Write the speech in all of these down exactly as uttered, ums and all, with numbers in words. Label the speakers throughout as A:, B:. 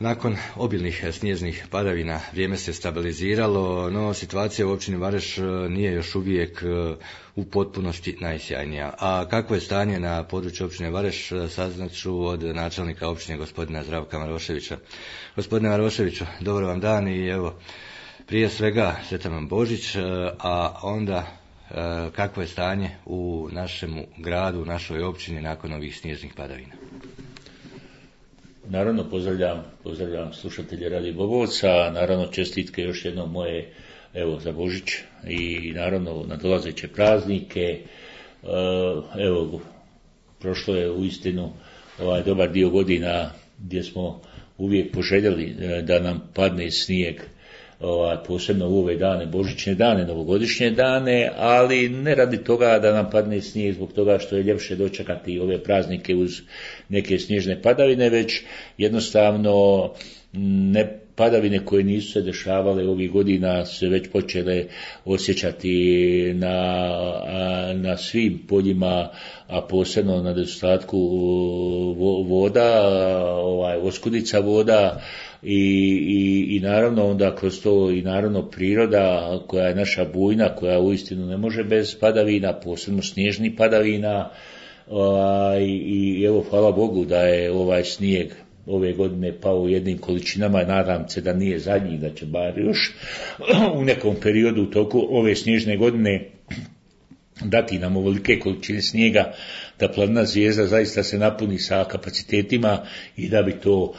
A: Nakon obilnih snježnih padavina vrijeme se stabiliziralo, no situacija u općini Vareš nije još uvijek u potpunosti najsjajnija. A kakvo je stanje na području općine Vareš, saznat ću od načelnika općine gospodina Zdravka Maroševića. Gospodine Maroševiću, dobar vam dan i evo, prije svega sretan vam Božić, a onda kakvo je stanje u našemu gradu, u našoj općini nakon ovih snježnih padavina?
B: Naravno pozdravljam, pozdravljam slušatelje Radio Bobovca, naravno čestitke još jednom moje evo za Božić i naravno na dolazeće praznike. Evo, prošlo je uistinu ovaj dobar dio godina gdje smo uvijek poželjeli da nam padne snijeg, ovaj, posebno u ove dane, božićne dane, novogodišnje dane, ali ne radi toga da nam padne snijeg zbog toga što je ljepše dočekati ove praznike uz neke snježne padavine, već jednostavno ne padavine koje nisu se dešavale ovih godina se već počele osjećati na, na svim poljima, a posebno na nedostatku voda, ovaj, oskudica voda. I, i, i naravno onda kroz to i naravno priroda koja je naša bujna, koja uistinu ne može bez padavina, posebno snježnih padavina, ovaj, i evo hvala Bogu da je ovaj snijeg ove godine pao u jednim količinama, nadam se da nije zadnji, da će bar još u nekom periodu u toku ove snježne godine dati nam ovolike količine snijega da planina Zvijezda zaista se napuni sa kapacitetima i da bi to,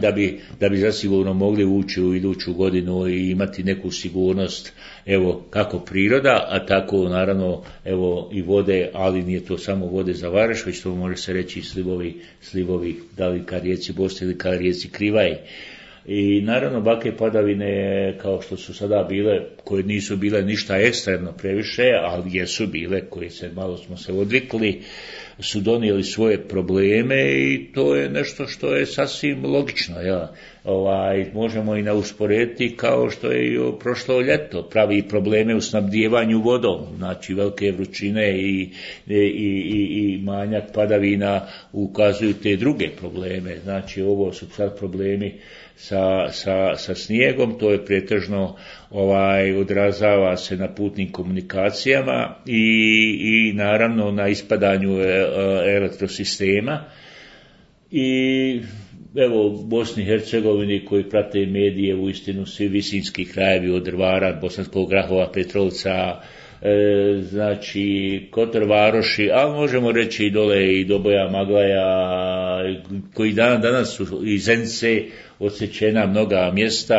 B: da bi, da bi zasigurno mogli ući u iduću godinu i imati neku sigurnost, evo, kako priroda, a tako naravno, evo, i vode, ali nije to samo vode za Vareš, već to može se reći i slivovi, slivovi, da li ka rijeci Bosni ili ka rijeci Krivaj. I naravno bake padavine kao što su sada bile, koje nisu bile ništa ekstremno previše, ali jesu bile, koje se malo smo se odvikli, su donijeli svoje probleme i to je nešto što je sasvim logično. Ja. Ovaj, možemo i usporediti kao što je i prošlo ljeto, pravi probleme u snabdijevanju vodom, znači velike vrućine i, i, i, i manjak padavina ukazuju te druge probleme. Znači ovo su sad problemi Sa, sa, sa snijegom, to je pretežno ovaj, odrazava se na putnim komunikacijama i, i naravno na ispadanju elektrosistema. I evo u Bosni i Hercegovini koji prate medije, uistinu svi visinski krajevi od Drvara, Bosanskog Grahova, Petrovca, e, znači Kotor Varoši, ali možemo reći i dole i Doboja, Maglaja, koji dan, danas su i Zenice odsječena mnoga mjesta,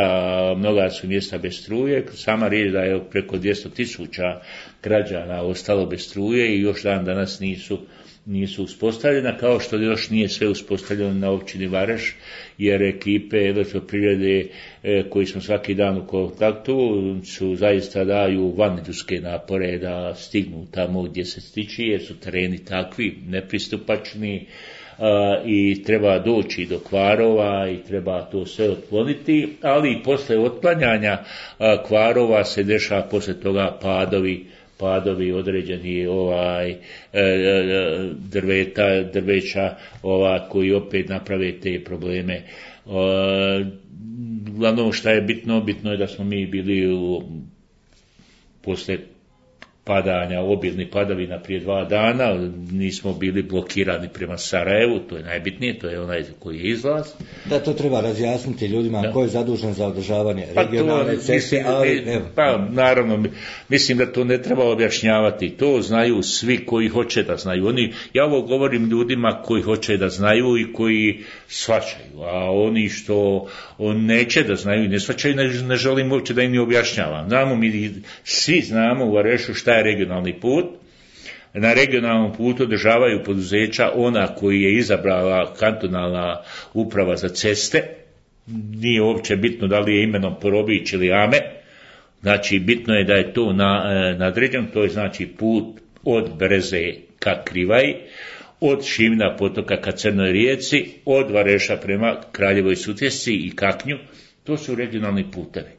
B: mnoga su mjesta bez struje, sama riječ da je preko dvjesto tisuća građana ostalo bez struje i još dan danas nisu, nisu uspostavljena, kao što još nije sve uspostavljeno na općini Vareš, jer ekipe elektroprivrede e, koji smo svaki dan u kontaktu su zaista daju vanidurske napore da stignu tamo gdje se stiči, jer su tereni takvi, nepristupačni, Uh, i treba doći do kvarova i treba to sve otkloniti, ali i posle otklanjanja uh, kvarova se dešava posle toga padovi, padovi određeni ovaj, uh, drveta, drveća ova, koji opet naprave te probleme. Uh, glavno što je bitno, bitno je da smo mi bili u, posle padanja, obilnih padavina prije dva dana, nismo bili blokirani prema Sarajevu, to je najbitnije, to je onaj koji je izlaz.
A: Da, to treba razjasniti ljudima, da. Ko je zadužen za održavanje
B: pa
A: regionalne
B: to,
A: ceste, ali evo.
B: Pa naravno, mislim da to ne treba objašnjavati, to znaju svi koji hoće da znaju. Oni, ja ovo govorim ljudima koji hoće da znaju i koji shvaćaju, a oni što on neće da znaju i ne shvaćaju, ne, ne želim uopće da im ne objašnjavam. Znamo mi, svi znamo u Varešu šta je regionalni put. Na regionalnom putu održavaju poduzeća ona koji je izabrala kantonalna uprava za ceste. Nije uopće bitno da li je imenom Porobić ili Ame. Znači bitno je da je to na, nadređeno, to je znači put od Breze ka Krivaj, od Šivna potoka ka Crnoj rijeci, od Vareša prema Kraljevoj Sutjesci i Kaknju. To su regionalni putevi.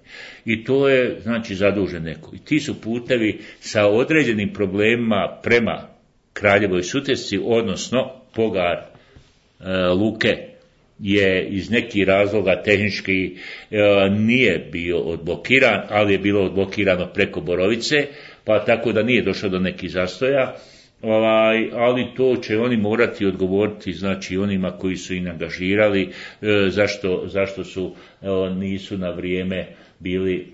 B: I to je, znači, zadužen neko. I ti su putevi sa određenim problemima prema Kraljevoj Sutjesci, odnosno Pogar, e, Luke, je iz nekih razloga tehnički e, nije bio odblokiran, ali je bilo odblokirano preko Borovice, pa tako da nije došlo do nekih zastoja. Ovaj, ali to će oni morati odgovoriti, znači onima koji su ih angažirali, e, zašto, zašto su e, nisu na vrijeme bili,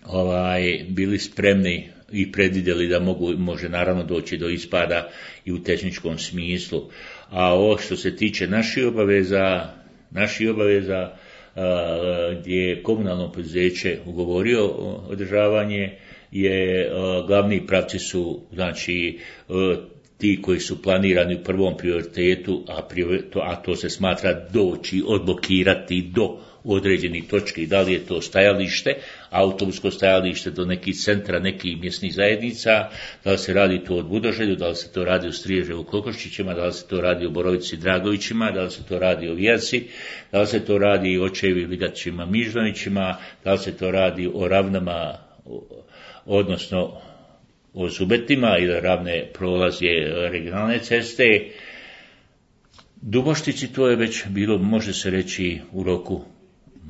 B: ovaj, bili spremni i predvidjeli da mogu, može naravno doći do ispada i u tehničkom smislu. A ovo što se tiče naših obaveza, naših obaveza a, gdje je komunalno poduzeće ugovorio održavanje, je a, glavni pravci su, znači, a, ti koji su planirani u prvom prioritetu, a, to, a to se smatra doći, odblokirati do određenih točki, da li je to stajalište, autobusko stajalište do nekih centra, nekih mjesnih zajednica, da li se radi to od Budoželju, da li se to radi u Striježevu Kokoščićima, da li se to radi u Borovici Dragovićima, da li se to radi o Vijaci, da li se to radi o Očevi Ligačima Mižnovićima, da li se to radi o Ravnama, odnosno o Zubetima ili Ravne prolaze regionalne ceste. Duboštici to je već bilo, može se reći, u roku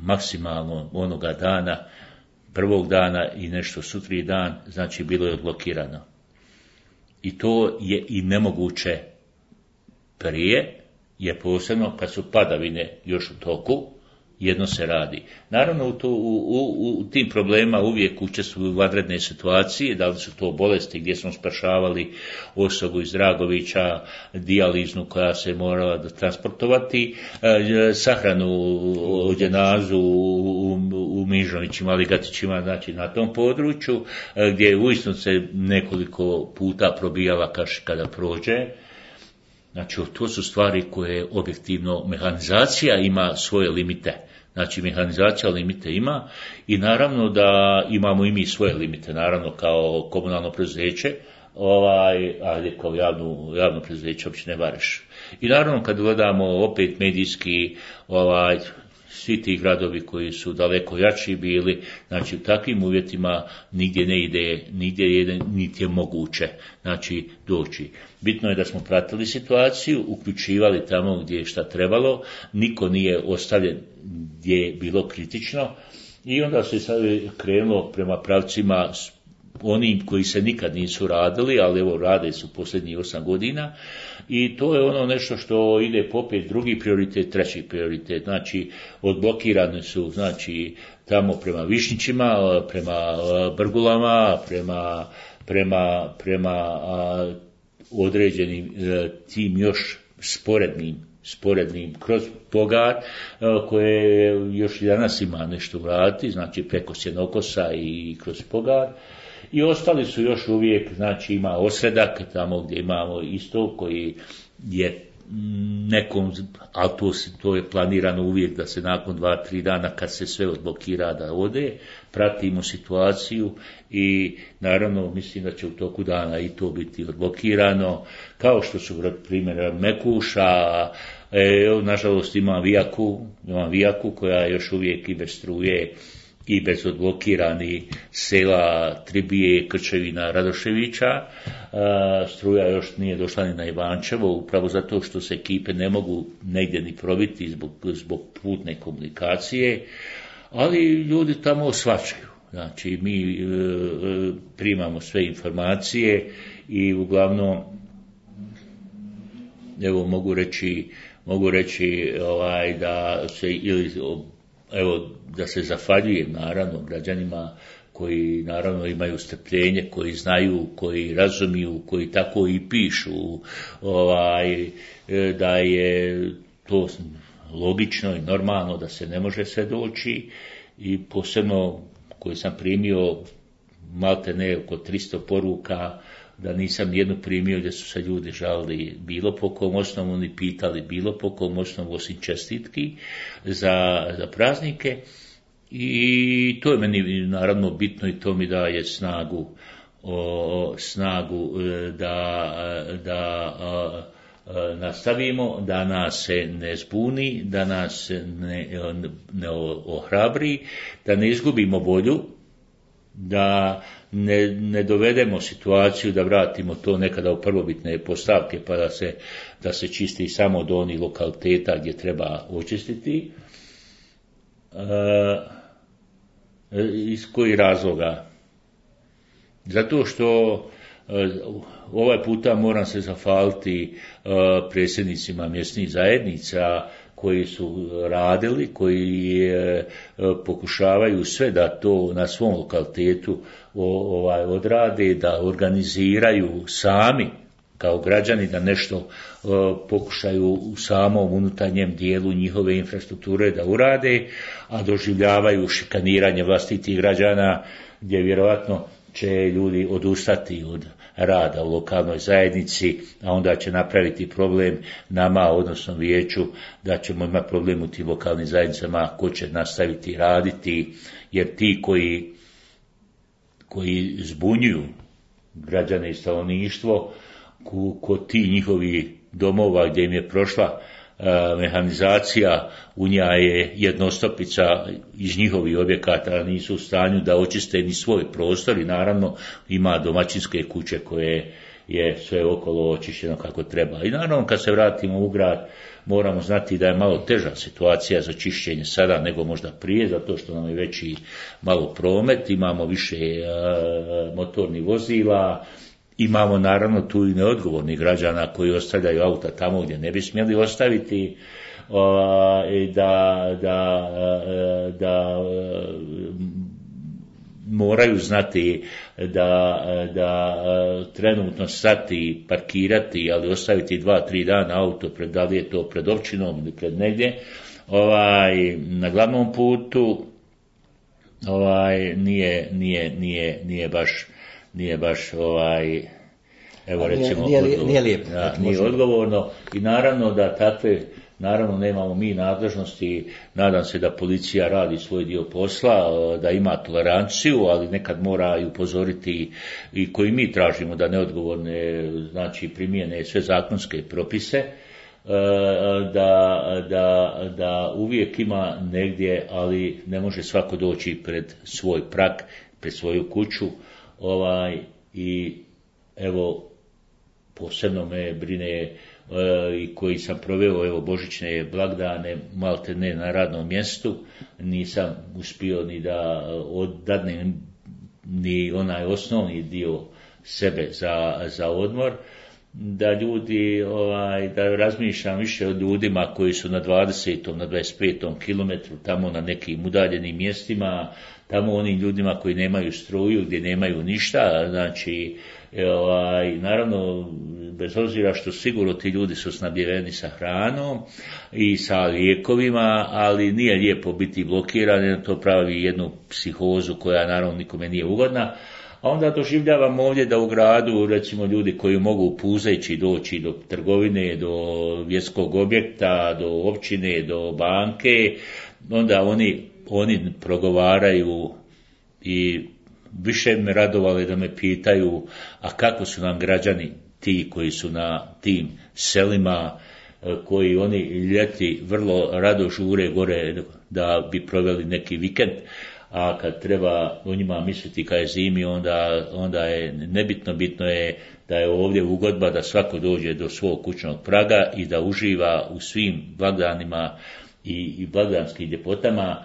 B: maksimalno onoga dana, prvog dana i nešto sutri dan, znači bilo je odblokirano. I to je i nemoguće prije, je posebno kad su padavine još u toku, jedno se radi. Naravno u, to, u, u, u tim problema uvijek učestvuju vanredne situacije, da li su to bolesti gdje smo spašavali osobu iz Dragovića, dijaliznu koja se morala da transportovati, e, sahranu u dženazu u, u, u Mižnovićima, Ligatićima, znači na tom području, e, gdje je uistinu se nekoliko puta probijala kaš kada prođe. Znači, to su stvari koje objektivno mehanizacija ima svoje limite. Znači, mehanizacija limite ima i naravno da imamo i mi svoje limite, naravno kao komunalno preduzeće, ovaj, ali kao javno, javno preduzeće općine Vareš. I naravno kad gledamo opet medijski, ovaj, svi ti gradovi koji su daleko jači bili, znači u takvim uvjetima nigdje ne ide, nigdje je, niti je moguće, znači doći. Bitno je da smo pratili situaciju, uključivali tamo gdje je šta trebalo, niko nije ostavljen gdje je bilo kritično i onda se sad krenulo prema pravcima onim koji se nikad nisu radili, ali evo rade su posljednjih osam godina i to je ono nešto što ide popet drugi prioritet, treći prioritet, znači odblokirane su, znači tamo prema Višnjićima, prema Brgulama, prema, prema, prema a, određenim a, tim još sporednim sporednim kroz Pogar, koje još i danas ima nešto vrati, znači preko Sjenokosa i kroz Pogar. I ostali su još uvijek, znači ima Osredak, tamo gdje imamo isto koji je nekom, ali to, to je planirano uvijek da se nakon dva, tri dana kad se sve odblokira da ode, pratimo situaciju i naravno mislim da će u toku dana i to biti odblokirano, kao što su primjer Mekuša, e, nažalost ima Vijaku, ima Vijaku koja još uvijek i bez struje i bez odblokirani sela Tribije, Krčevina, Radoševića. Struja još nije došla ni na Ivančevo, upravo zato što se ekipe ne mogu negdje ni probiti zbog, zbog putne komunikacije, ali ljudi tamo osvačaju. Znači, mi e, primamo sve informacije i uglavnom, evo mogu reći, mogu reći ovaj, da se ili evo da se zahvaljujem naravno građanima koji naravno imaju strpljenje, koji znaju, koji razumiju, koji tako i pišu, ovaj, da je to logično i normalno da se ne može sve doći i posebno koji sam primio malte ne oko tristo poruka, da nisam jednu primio gdje su se ljudi žalili bilo po kom osnovu ni pitali bilo po kom osnovu osim čestitki za, za praznike i to je meni naravno bitno i to mi daje snagu, o, snagu da, da a, a, nastavimo, da nas se ne zbuni, da nas se ne, ne ohrabri, da ne izgubimo volju, da ne, ne dovedemo situaciju da vratimo to nekada u prvobitne postavke pa da se, da se čisti samo do onih lokaliteta gdje treba očistiti. E, iz kojih razloga? Zato što e, ovaj puta moram se zahvaliti e, predsjednicima mjesnih zajednica koji su radili, koji e, pokušavaju sve da to na svom lokalitetu o, ovaj, odrade, da organiziraju sami kao građani, da nešto e, pokušaju u samom unutarnjem dijelu njihove infrastrukture da urade, a doživljavaju šikaniranje vlastitih građana gdje vjerojatno će ljudi odustati od rada u lokalnoj zajednici, a onda će napraviti problem nama, odnosno vijeću, da ćemo imati problem u tim lokalnim zajednicama ko će nastaviti raditi, jer ti koji, koji zbunjuju građane i stanovništvo, kod ti njihovi domova gdje im je prošla mehanizacija, u njoj je jednostopica iz njihovih objekata, nisu u stanju da očiste ni svoj prostor i naravno ima domaćinske kuće koje je sve okolo očišćeno kako treba. I naravno kad se vratimo u grad moramo znati da je malo teža situacija za čišćenje sada nego možda prije, zato što nam je veći malo promet, imamo više uh, motornih vozila, imamo naravno tu i neodgovornih građana koji ostavljaju auta tamo gdje ne bi smjeli ostaviti, uh, da, da, uh, da uh, moraju znati da, da uh, trenutno stati, parkirati, ali ostaviti dva, tri dana auto, pred, da li je to pred općinom ili pred negdje, ovaj, na glavnom putu, ovaj, nije, nije, nije, nije baš nije baš ovaj, evo recimo,
C: nije, nije, nije lijepo,
B: da, nije odgovorno i naravno da takve, naravno nemamo mi nadležnosti, nadam se da policija radi svoj dio posla, da ima toleranciju, ali nekad mora i upozoriti i koji mi tražimo da neodgovorne, znači primijene sve zakonske propise, da, da, da uvijek ima negdje, ali ne može svako doći pred svoj prag, pred svoju kuću. Ovaj, i evo posebno me brine e, i koji sam proveo evo božićne blagdane malte ne na radnom mjestu, nisam uspio ni da oddadnem ni onaj osnovni dio sebe za, za odmor, da ljudi, ovaj, da razmišljam više o ljudima koji su na dvadesetom, na dvadeset petom kilometru, tamo na nekim udaljenim mjestima, tamo onim ljudima koji nemaju struju, gdje nemaju ništa, znači, ovaj, naravno, bez obzira što sigurno ti ljudi su snabdjeveni sa hranom i sa lijekovima, ali nije lijepo biti blokiran, to pravi jednu psihozu koja naravno nikome nije ugodna. A onda doživljavamo ovdje da u gradu, recimo ljudi koji mogu puzeći doći do trgovine, do vjerskog objekta, do općine, do banke, onda oni, oni progovaraju i više me radovale da me pitaju, a kako su nam građani ti koji su na tim selima, koji oni ljeti vrlo rado žure gore da bi proveli neki vikend, a kad treba o njima misliti kad je zimi, onda, onda je nebitno, bitno je da je ovdje ugodba da svako dođe do svog kućnog praga i da uživa u svim blagdanima i, i blagdanskim ljepotama,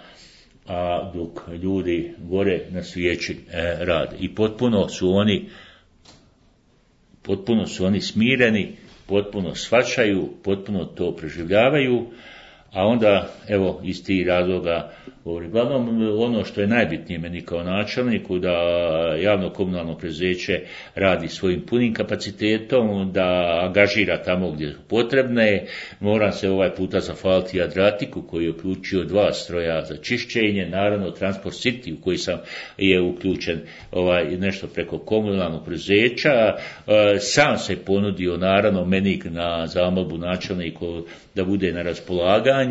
B: a dok ljudi gore na svijeći e, rade. I potpuno su oni potpuno su oni smireni, potpuno shvaćaju, potpuno to preživljavaju, a onda, evo, iz tih razloga, uglavnom, ono što je najbitnije meni kao načelniku, da javno komunalno preduzeće radi svojim punim kapacitetom, da angažira tamo gdje je potrebne. Moram se ovaj puta zahvaliti Adriatiku koji je uključio dva stroja za čišćenje, naravno Transport City u koji sam je uključen ovaj, nešto preko komunalnog preduzeća. Sam se ponudio, naravno, meni na zamolbu načelniku da bude na raspolaganju.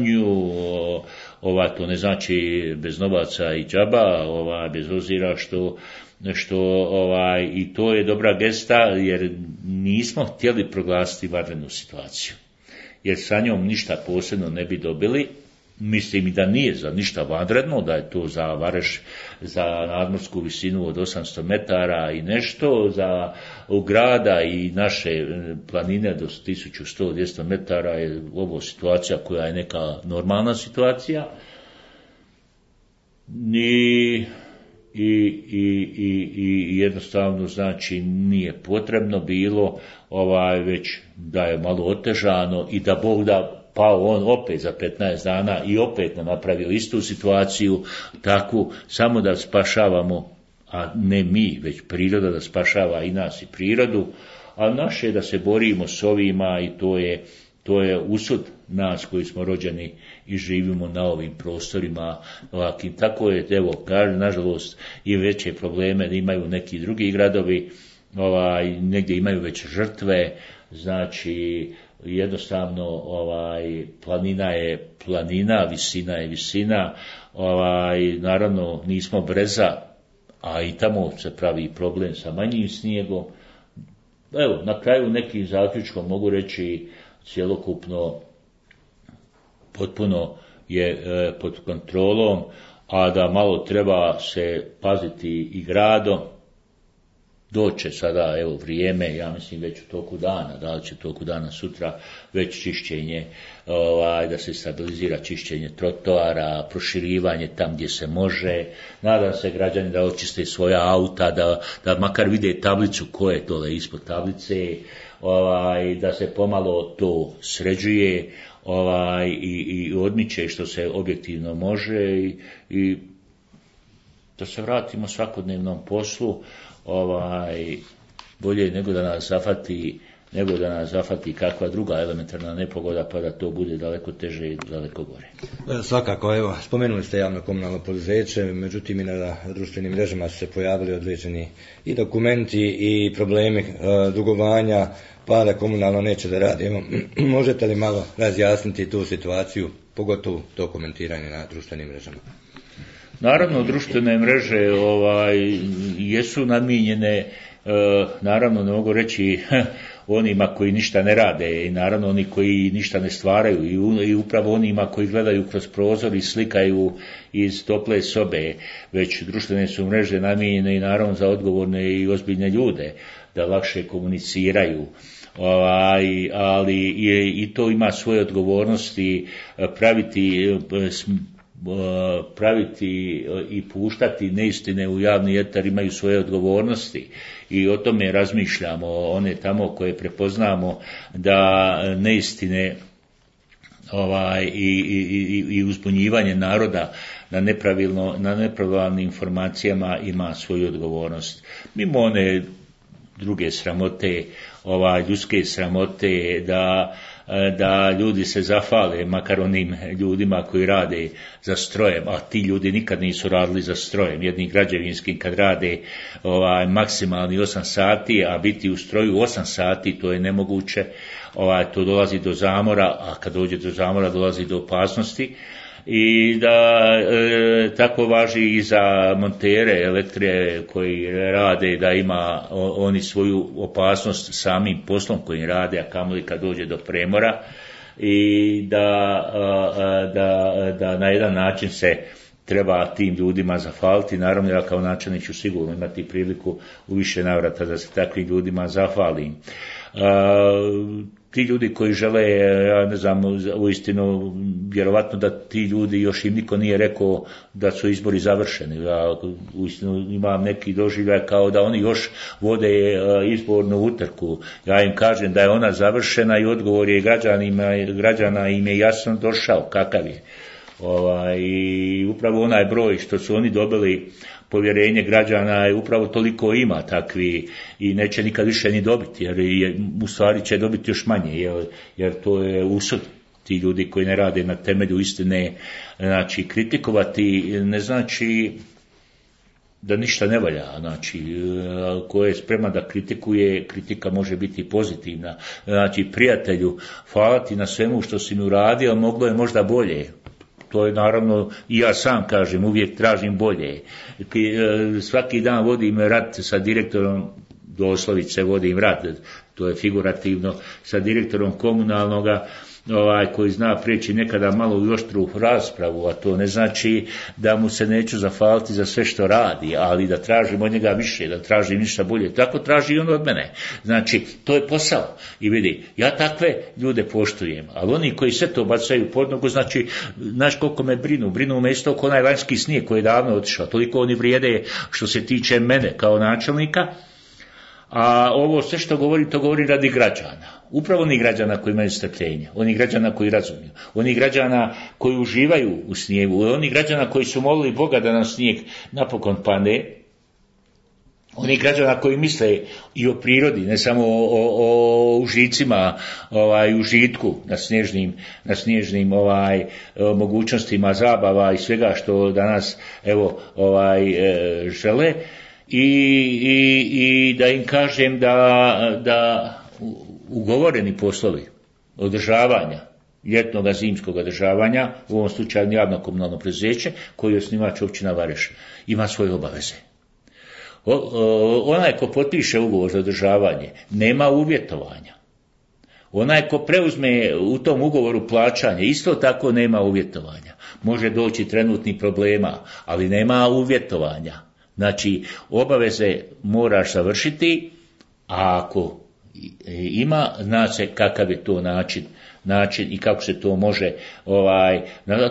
B: Ova, to ne znači bez novaca i džaba, ova, bez obzira što, što ovaj, i to je dobra gesta, jer nismo htjeli proglasiti vanrednu situaciju, jer sa njom ništa posebno ne bi dobili, mislim i da nije za ništa vanredno, da je to za Vareš, za nadmorsku visinu od osamsto metara i nešto, za u grada i naše planine do tisuću sto do dvjesto metara je ovo situacija koja je neka normalna situacija. I, i, i, i, i jednostavno znači nije potrebno bilo ovaj već da je malo otežano i da Bog da pao on opet za petnaest dana i opet nam napravio istu situaciju takvu, samo da spašavamo, a ne mi, već priroda da spašava i nas i prirodu, a naše je da se borimo s ovima i to je, to je usud nas koji smo rođeni i živimo na ovim prostorima ovakvim. Tako je, evo, kažem, nažalost i veće probleme da imaju neki drugi gradovi, ovaj, negdje imaju već žrtve, znači jednostavno ovaj planina je planina, visina je visina, ovaj naravno nismo breza, a i tamo se pravi problem sa manjim snijegom. Evo, na kraju nekim zaključkom mogu reći cjelokupno potpuno je e, pod kontrolom, a da malo treba se paziti i gradom. Doće sada, evo, vrijeme, ja mislim već u toku dana, da li će u toku dana sutra već čišćenje, ovaj, da se stabilizira čišćenje trotoara, proširivanje tam gdje se može. Nadam se građani da očiste svoja auta, da, da makar vide tablicu koje je dole ispod tablice, ovaj, da se pomalo to sređuje ovaj, i, i odmiče što se objektivno može i, i da se vratimo svakodnevnom poslu. Ovaj, bolje nego da nas zafati, nego da nas zafati kakva druga elementarna nepogoda, pa da to bude daleko teže i daleko gore.
A: Svakako, evo, spomenuli ste javno komunalno poduzeće, međutim i na društvenim mrežama su se pojavili određeni i dokumenti i problemi e, dugovanja, pa da komunalno neće da radi. Evo, možete li malo razjasniti tu situaciju, pogotovo to komentiranje na društvenim mrežama?
B: Naravno, društvene mreže ovaj, jesu namijenjene, e, naravno ne mogu reći onima koji ništa ne rade i naravno oni koji ništa ne stvaraju i, u, i upravo onima koji gledaju kroz prozor i slikaju iz tople sobe, već društvene su mreže namijenjene i naravno za odgovorne i ozbiljne ljude da lakše komuniciraju. Ovaj, ali je, i to ima svoje odgovornosti praviti praviti i puštati neistine u javni etar imaju svoje odgovornosti i o tome razmišljamo, one tamo koje prepoznamo da neistine ovaj, i, i, i uzbunjivanje naroda na nepravilno, na nepravilnim informacijama ima svoju odgovornost. Mimo one druge sramote, ovaj, ljudske sramote, da da ljudi se zafale, makar onim ljudima koji rade za strojem, a ti ljudi nikad nisu radili za strojem, jednim građevinskim kad rade ovaj, maksimalni osam sati, a biti u stroju osam sati, to je nemoguće, ovaj, to dolazi do zamora, a kad dođe do zamora dolazi do opasnosti. I da e, tako važi i za montere elektre koji rade, da ima o, oni svoju opasnost samim poslom kojim rade, a kamoli kad dođe do premora i da, a, da, da na jedan način se treba tim ljudima zahvaliti. Naravno, ja kao načelnik ću sigurno imati priliku u više navrata da se takvim ljudima zahvalim. A, ti ljudi koji žele, ja ne znam, uistinu, vjerovatno da ti ljudi još im niko nije rekao da su izbori završeni. Ja uistinu imam neki doživljaj kao da oni još vode izbornu utrku. Ja im kažem da je ona završena i odgovor je građanima, građana im je jasno došao kakav je. Ovaj, i upravo onaj broj što su oni dobili povjerenje građana je upravo toliko ima takvi i neće nikad više ni dobiti, jer je, u stvari će dobiti još manje, jer, jer to je usud. Ti ljudi koji ne rade na temelju istine, znači kritikovati ne znači da ništa ne valja, znači ko je spreman da kritikuje, kritika može biti pozitivna. Znači prijatelju, hvala ti na svemu što si mi uradio, moglo je možda bolje. To je naravno, i ja sam kažem, uvijek tražim bolje. Svaki dan vodim rat sa direktorom, doslovice vodim rat, to je figurativno, sa direktorom komunalnoga ovaj, koji zna prijeći nekada malo i oštru raspravu, a to ne znači da mu se neću zafaliti za sve što radi, ali da tražim od njega više, da tražim ništa bolje. Tako traži i on od mene. Znači, to je posao. I vidi, ja takve ljude poštujem, ali oni koji sve to bacaju pod nogu, znači, znaš koliko me brinu, brinu me isto kao onaj lanjski snijeg koji je davno otišao, toliko oni vrijede što se tiče mene kao načelnika, a ovo sve što govori, to govori radi građana. Upravo oni građana koji imaju strpljenja, oni građana koji razumiju, oni građana koji uživaju u snijegu, oni građana koji su molili Boga da nam snijeg napokon padne, oni građana koji misle i o prirodi, ne samo o, o, o užicima, ovaj, užitku na snježnim, na snježnim ovaj, mogućnostima zabava i svega što danas evo, ovaj, e, žele, i, i, i da im kažem da, da ugovoreni poslovi održavanja, ljetnog zimskog održavanja, u ovom slučaju javno komunalno preduzeće, koji je osnivač općina Vareš, ima svoje obaveze. O, o, onaj ko potpiše ugovor za održavanje nema uvjetovanja. Onaj ko preuzme u tom ugovoru plaćanje isto tako nema uvjetovanja. Može doći trenutni problema, ali nema uvjetovanja. Znači, obaveze moraš završiti, a ako ima, zna se kakav je to način, način i kako se to može, ovaj,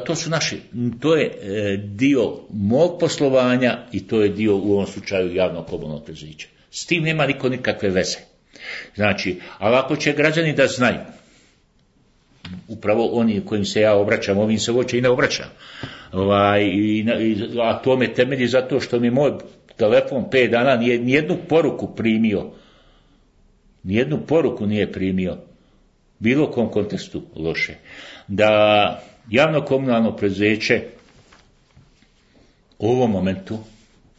B: to su naši, to je dio mog poslovanja i to je dio u ovom slučaju javnog komunalnog preduzeća. S tim nema niko nikakve veze. Znači, ali ako će građani da znaju, upravo oni kojim se ja obraćam, ovim se uopće i ne obraćam, ovaj, i, a to me temelji zato što mi moj telefon pet dana nije nijednu poruku primio, nijednu poruku nije primio, bilo kom kontekstu loše, da javno komunalno preduzeće u ovom momentu,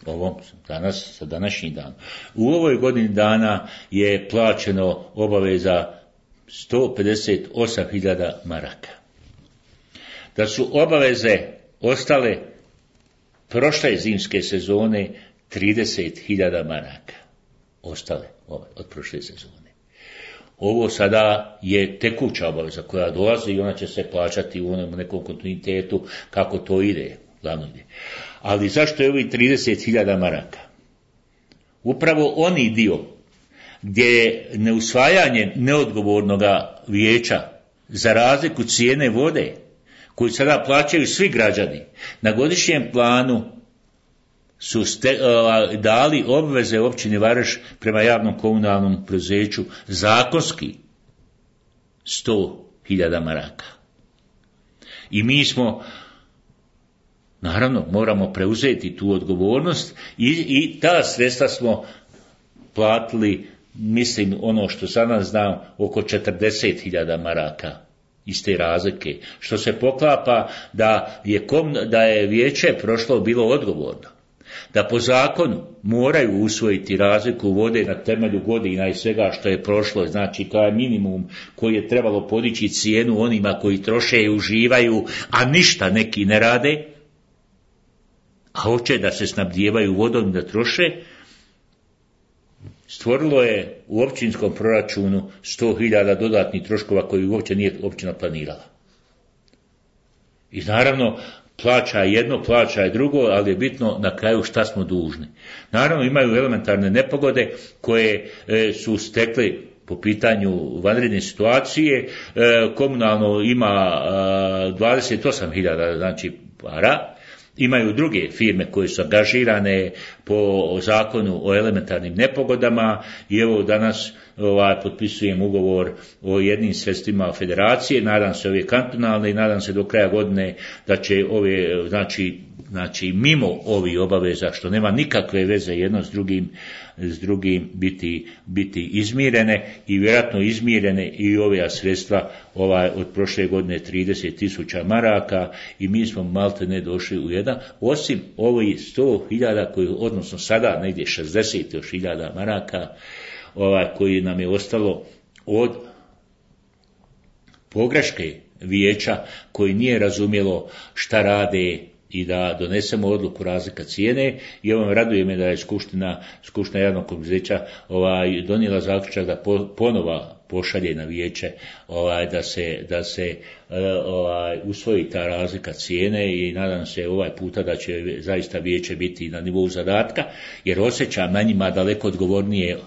B: ovom danas, sa današnji dan, u ovoj godini dana je plaćeno obaveza sto pedeset osam hiljada maraka. Da su obaveze ostale prošle zimske sezone trideset hiljada maraka. Ostale od prošle sezone. Ovo sada je tekuća obaveza koja dolazi i ona će se plaćati u onom nekom kontinuitetu kako to ide, glavno ide. Ali zašto je ovi trideset hiljada maraka? Upravo oni dio gdje je neusvajanje neodgovornog vijeća za razliku cijene vode, koju sada plaćaju svi građani, na godišnjem planu su ste, uh, dali obveze općini Vareš prema javnom komunalnom preduzeću zakonski sto hiljada maraka. I mi smo, naravno, moramo preuzeti tu odgovornost i, i ta sredstva smo platili, mislim, ono što sada znam, oko četrdeset hiljada maraka iz te razlike, što se poklapa da je, kom, da je vijeće prošlo bilo odgovorno, da po zakonu moraju usvojiti razliku vode na temelju godina i svega što je prošlo, znači kao je minimum koji je trebalo podići cijenu onima koji troše i uživaju, a ništa neki ne rade, a hoće da se snabdijevaju vodom i da troše, stvorilo je u općinskom proračunu sto hiljada dodatnih troškova koji uopće nije općina planirala. I naravno, plaća jedno, plaća je drugo, ali je bitno na kraju šta smo dužni. Naravno, imaju elementarne nepogode koje e, su stekli po pitanju vanredne situacije. E, komunalno ima e, dvadeset osam hiljada, znači para. Imaju druge firme koje su angažirane po zakonu o elementarnim nepogodama i evo danas ovaj, potpisujem ugovor o jednim sredstvima federacije, nadam se ove kantonalne i nadam se do kraja godine da će ove, znači, znači mimo ovih obaveza što nema nikakve veze jedno s drugim, s drugim biti, biti izmirene i vjerojatno izmirene i ove sredstva ovaj, od prošle godine trideset tisuća maraka i mi smo malte ne došli u jedan, osim ovih sto hiljada koji, odnosno sada negdje šezdeset hiljada maraka ovaj, koji nam je ostalo od pogreške vijeća koji nije razumjelo šta rade i da donesemo odluku razlika cijene i ovo me raduje me da je skupština, skupština javnog poduzeća ovaj, donijela zaključak da po, ponova pošalje na vijeće ovaj, da se, da se ovaj, usvoji ta razlika cijene i nadam se ovaj puta da će zaista vijeće biti na nivou zadatka, jer osjećam na njima daleko odgovornije,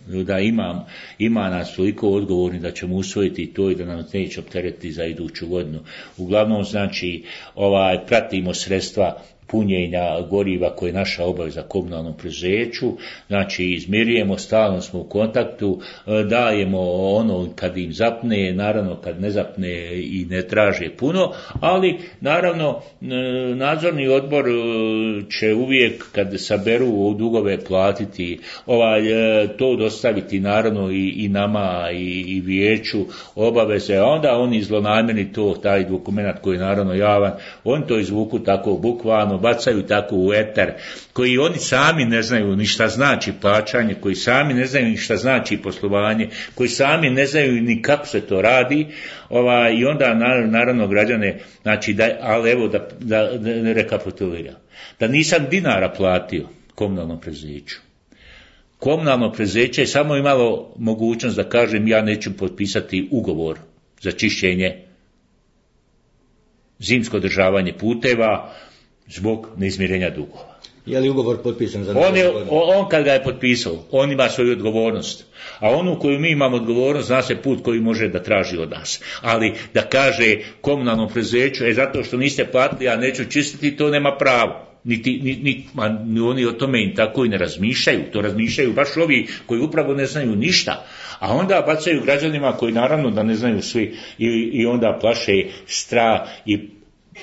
B: da imam, ima nas toliko odgovorni da ćemo usvojiti to i da nam neće opteretiti za iduću godinu. Uglavnom, znači, ovaj, pratimo sredstva punjenja goriva koje je naša obaveza komunalnom preduzeću, znači izmirujemo, stalno smo u kontaktu, dajemo ono kad im zapne, naravno kad ne zapne i ne traže puno, ali naravno nadzorni odbor će uvijek kad saberu dugove platiti, ovaj, to dostaviti naravno i, i nama i, i vijeću obaveze, a onda oni zlonamjerni to, taj dokument koji je naravno javan, oni to izvuku tako bukvalno, bacaju tako u eter, koji oni sami ne znaju ni šta znači plaćanje, koji sami ne znaju ni šta znači poslovanje, koji sami ne znaju ni kako se to radi, ovaj, i onda naravno građane, znači, da, ali evo da, da, da ne rekapituliram, da nisam dinara platio komunalnom preduzeću. Komunalno preduzeće je samo imalo mogućnost da kažem ja neću potpisati ugovor za čišćenje, zimsko održavanje puteva, zbog neizmirenja dugova.
A: Je li ugovor potpisan za
B: on, je, on kad ga je potpisao, on ima svoju odgovornost. A onu koju mi imamo odgovornost, zna se put koji može da traži od nas. Ali da kaže komunalnom preduzeću, je zato što niste platili, ja neću čistiti, to nema pravo. Niti, ni, ni, ni oni o tome im tako i ne razmišljaju. To razmišljaju baš ovi koji upravo ne znaju ništa. A onda bacaju građanima koji naravno da ne znaju svi i, i onda plaše strah i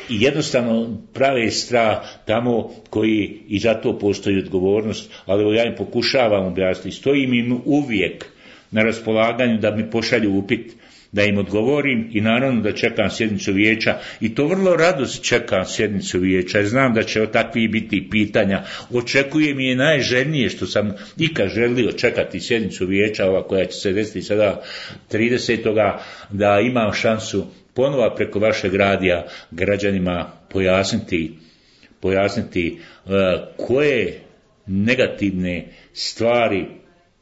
B: I jednostavno prave strah tamo koji i za to postoji odgovornost, ali ja im pokušavam objasniti, stojim im uvijek na raspolaganju da mi pošalju upit, da im odgovorim i naravno da čekam sjednicu vijeća i to vrlo rado čekam sjednicu vijeća, znam da će o takvih biti pitanja, očekujem je najželjnije što sam ikad želio čekati sjednicu vijeća, ova koja će se desiti sada tridesetoga da imam šansu ponova preko vašeg radija građanima pojasniti, pojasniti uh, koje negativne stvari,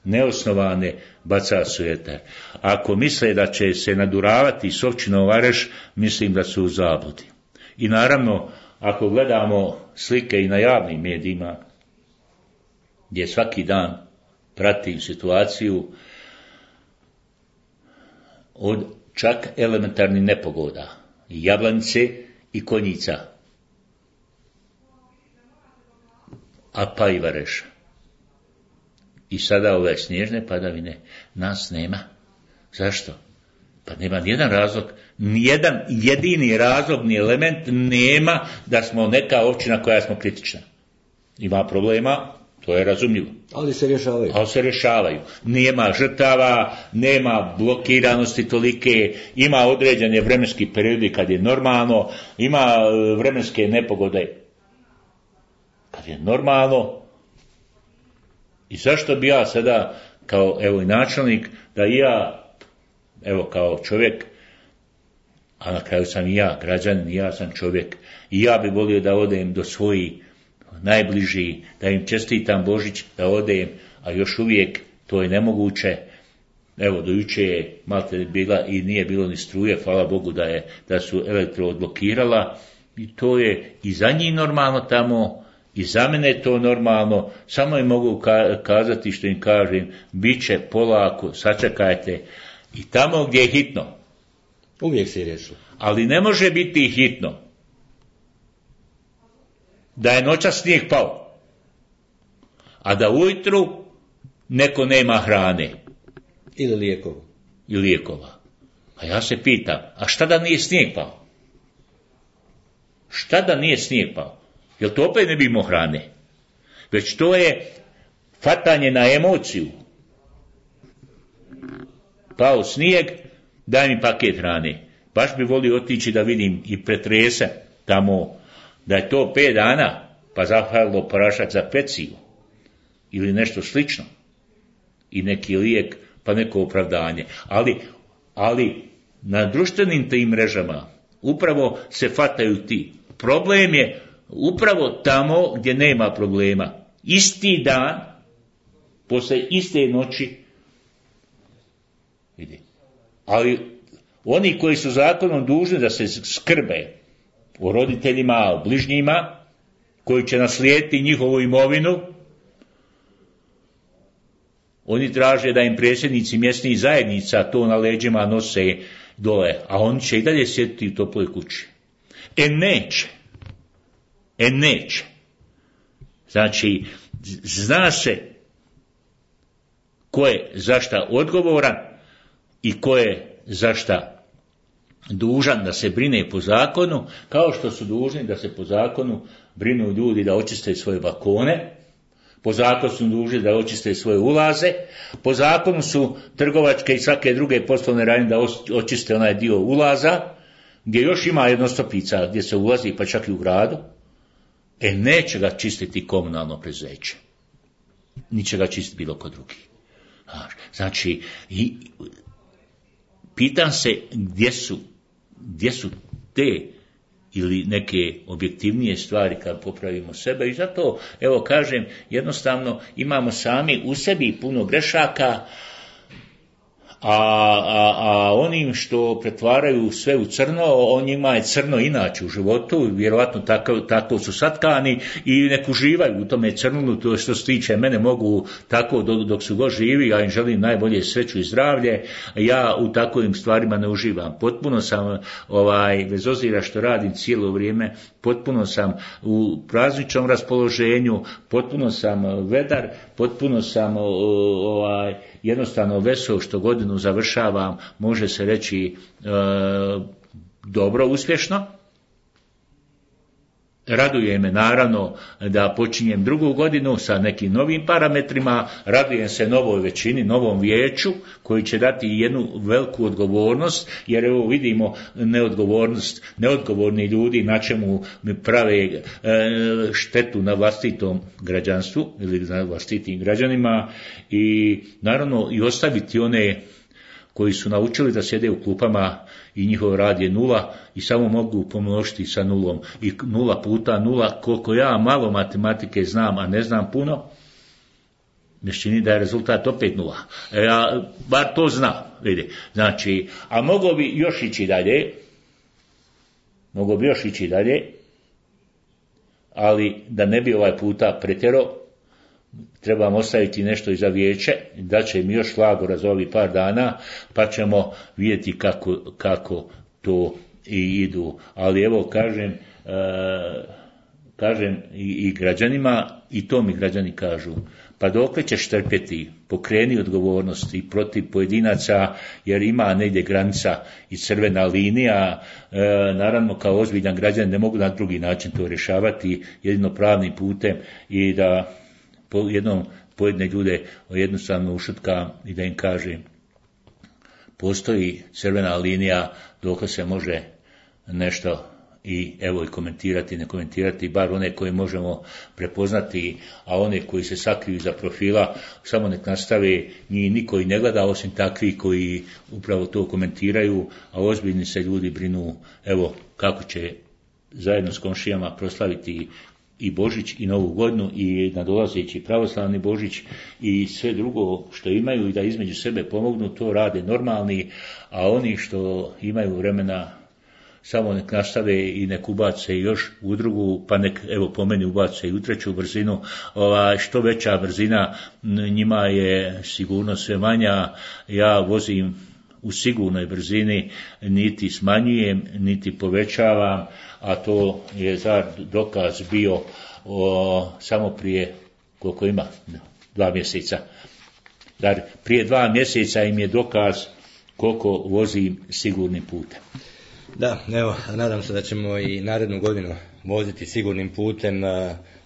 B: neosnovane, baca su eter. Ako misle da će se naduravati s općinom Vareš, mislim da su u zabludi. I naravno, ako gledamo slike i na javnim medijima, gdje svaki dan pratim situaciju od čak elementarnih nepogoda, Jablanice i Konjica, a pa i Vareša. I sada ove snježne padavine, nas nema. Zašto? Pa nema nijedan razlog, nijedan jedini razlog, ni element nema da smo neka općina koja smo kritična. Ima problema, to je razumljivo.
A: Ali se rješavaju.
B: Ali se rješavaju. Nema žrtava, nema blokiranosti tolike, ima određene vremenski periodi kad je normalno, ima vremenske nepogode kad je normalno. I zašto bi ja sada, kao evo i načelnik, da i ja, evo kao čovjek, a na kraju sam i ja, građanin, i ja sam čovjek, i ja bi volio da odem do svojih najbliži, da im čestitam Božić, da odem, a još uvijek to je nemoguće. Evo, do juče je malte bila i nije bilo ni struje, hvala Bogu da je, da su elektro odblokirala, i to je i za njih normalno tamo, i za mene je to normalno, samo im mogu kazati što im kažem, bit će polako, sačekajte, i tamo gdje je hitno.
A: Uvijek se riješi.
B: Ali ne može biti hitno da je noćas snijeg pao, a da ujutru neko nema hrane.
A: Ili lijekova.
B: I lijekova. A ja se pitam, a šta da nije snijeg pao? Šta da nije snijeg pao? Jel to opet ne bi imao hrane? Već to je fatanje na emociju. Pao snijeg, daj mi paket hrane. Baš bi volio otići da vidim i pretrese tamo, da je to pet dana, pa zahvalilo prašak za peciju. Ili nešto slično. I neki lijek, pa neko opravdanje. Ali, ali na društvenim tim mrežama upravo se fataju ti. Problem je upravo tamo gdje nema problema. Isti dan, posle iste noći, vidi, Ali oni koji su zakonom dužni da se skrbe o roditeljima, o bližnjima, koji će naslijediti njihovu imovinu, oni traže da im predsjednici mjesnih zajednica to na leđima nose dole, a oni će i dalje sjediti u toploj kući. E neće. E neće. Znači, zna se ko je za šta odgovoran i ko je za šta dužan da se brine po zakonu, kao što su dužni da se po zakonu brinu ljudi da očiste svoje balkone, po zakonu su dužni da očiste svoje ulaze, po zakonu su trgovačke i svake druge poslovne radnje da očiste onaj dio ulaza, gdje još ima jednostopica gdje se ulazi pa čak i u gradu. E neće ga čistiti komunalno preduzeće. Niće ga čistiti bilo ko drugi. Znači, i, pitam se gdje su, gdje su te ili neke objektivnije stvari kad popravimo sebe i zato, evo kažem, jednostavno imamo sami u sebi puno grešaka, a, a, a onim što pretvaraju sve u crno, on njima je crno inače u životu, vjerovatno tako, tako su satkani i nek uživaju u tome crnu, to što se tiče mene mogu tako dok, dok su god živi, ja im želim najbolje sreću i zdravlje, ja u takovim stvarima ne uživam. Potpuno sam, ovaj, bez obzira što radim cijelo vrijeme, potpuno sam u prazničnom raspoloženju, potpuno sam vedar, potpuno sam ovaj, jednostavno vesel što godinu završavam, može se reći e, dobro, uspješno. Raduje me naravno da počinjem drugu godinu sa nekim novim parametrima, radujem se novoj većini, novom vijeću koji će dati jednu veliku odgovornost, jer evo vidimo neodgovornost, neodgovorni ljudi na čemu mi prave e, štetu na vlastitom građanstvu ili na vlastitim građanima i naravno i ostaviti one koji su naučili da sjede u klupama i njihov rad je nula i samo mogu pomnožiti sa nulom. I nula puta nula, koliko ja malo matematike znam, a ne znam puno, mi se čini da je rezultat opet nula. E, ja bar to znam, vidi. Znači, a moglo bi još ići dalje, moglo bi još ići dalje, ali da ne bi ovaj puta pretjerao, trebam ostaviti nešto i za vijeće, da će mi još šlagora za ovih par dana, pa ćemo vidjeti kako, kako to i idu. Ali evo kažem, e, kažem i, i građanima, i to mi građani kažu, pa dokle ćeš trpjeti, pokreni odgovornost i protiv pojedinaca, jer ima negdje granica i crvena linija, e, naravno kao ozbiljan građan ne mogu na drugi način to rješavati, jedino pravnim putem i da po jednom pojedine ljude jednostavno ušutkam i da im kažem postoji crvena linija dok se može nešto i evo i komentirati, ne komentirati, bar one koje možemo prepoznati, a one koji se sakriju iza profila samo nek nastave, njih niko i ne gleda osim takvi koji upravo to komentiraju, a ozbiljni se ljudi brinu evo kako će zajedno s komšijama proslaviti i Božić i Novu godinu i nadolazeći pravoslavni Božić i sve drugo što imaju i da između sebe pomognu, to rade normalni, a oni što imaju vremena samo nek nastave i nek ubace još u drugu, pa nek evo po meni ubace i u treću brzinu. Ova, što veća brzina, njima je sigurno sve manja. Ja vozim u sigurnoj brzini, niti smanjujem, niti povećavam, a to je za dokaz bio o, samo prije, koliko ima, dva mjeseca. Dar prije dva mjeseca im je dokaz koliko vozim sigurnim putem.
A: Da, evo, nadam se da ćemo i narednu godinu voziti sigurnim putem,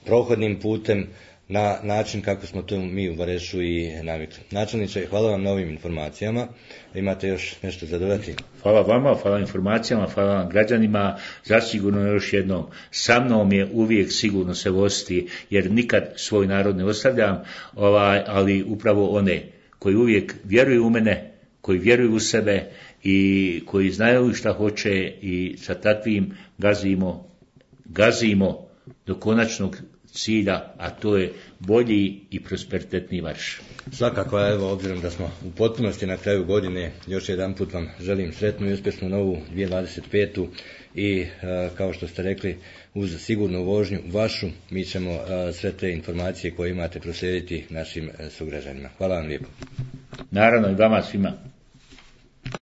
A: prohodnim putem, na način kako smo to mi u Varešu i navikli. Načelniče, hvala vam na ovim informacijama. Imate još nešto za dodati?
B: Hvala vama, hvala informacijama, hvala vam građanima. Zasigurno još jednom, sa mnom je uvijek sigurno se voziti, jer nikad svoj narod ne ostavljam, ovaj, ali upravo one koji uvijek vjeruju u mene, koji vjeruju u sebe i koji znaju šta hoće i sa takvim gazimo, gazimo do konačnog cilja, a to je bolji i prosperitetniji marš.
A: Svakako, evo, obzirom da smo u potpunosti na kraju godine, još jedan put vam želim sretnu i uspješnu novu dvije tisuće dvadeset petu i kao što ste rekli, uz sigurnu vožnju vašu, mi ćemo sve te informacije koje imate proslijediti našim sugrađanima. Hvala vam lijepo.
B: Naravno i vama svima.